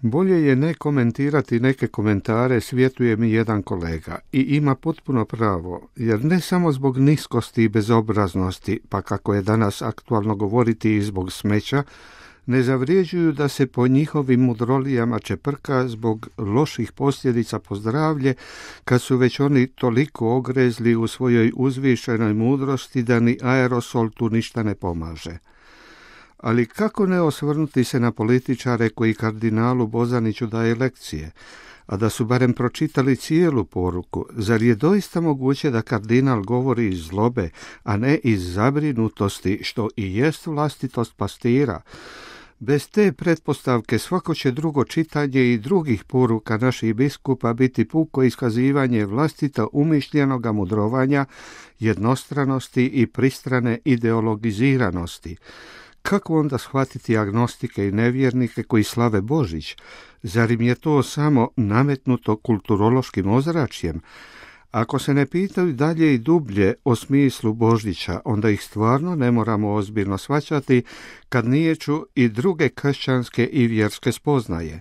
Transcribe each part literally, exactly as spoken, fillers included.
Bolje je ne komentirati neke komentare, svjetuje mi jedan kolega, i ima potpuno pravo, jer ne samo zbog niskosti i bezobraznosti, pa kako je danas aktualno govoriti i zbog smeća, ne zavrijeđuju da se po njihovim mudrolijama čeprka zbog loših posljedica po zdravlje, kad su već oni toliko ogrezli u svojoj uzvišenoj mudrosti da ni aerosol tu ništa ne pomaže. Ali kako ne osvrnuti se na političare koji kardinalu Bozaniću daje lekcije, a da su barem pročitali cijelu poruku? Zar je doista moguće da kardinal govori iz zlobe, a ne iz zabrinutosti, što i jest vlastitost pastira? Bez te pretpostavke svako će drugo čitanje i drugih poruka naših biskupa biti puko iskazivanje vlastita umišljenoga mudrovanja, jednostranosti i pristrane ideologiziranosti. Kako onda shvatiti agnostike i nevjernike koji slave Božić? Zar im je to samo nametnuto kulturološkim ozračjem? Ako se ne pitaju dalje i dublje o smislu Božića, onda ih stvarno ne moramo ozbiljno shvaćati kad niječu i druge kršćanske i vjerske spoznaje.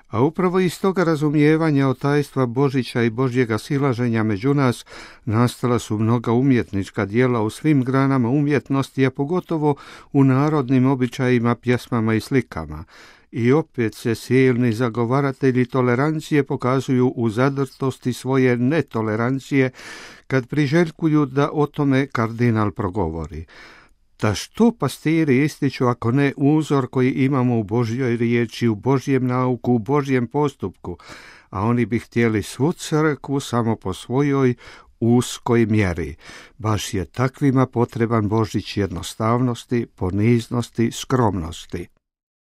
A upravo iz toga razumijevanja o tajstva Božića i Božjega silaženja među nas nastala su mnoga umjetnička djela u svim granama umjetnosti, a pogotovo u narodnim običajima, pjesmama i slikama. I opet se silni zagovaratelji tolerancije pokazuju u zadrtosti svoje netolerancije kad priželjkuju da o tome kardinal progovori. Da što pastiri ističu ako ne uzor koji imamo u Božjoj riječi, u Božjem nauku, u Božjem postupku, a oni bi htjeli svu crkvu samo po svojoj uskoj mjeri. Baš je takvima potreban Božić jednostavnosti, poniznosti, skromnosti.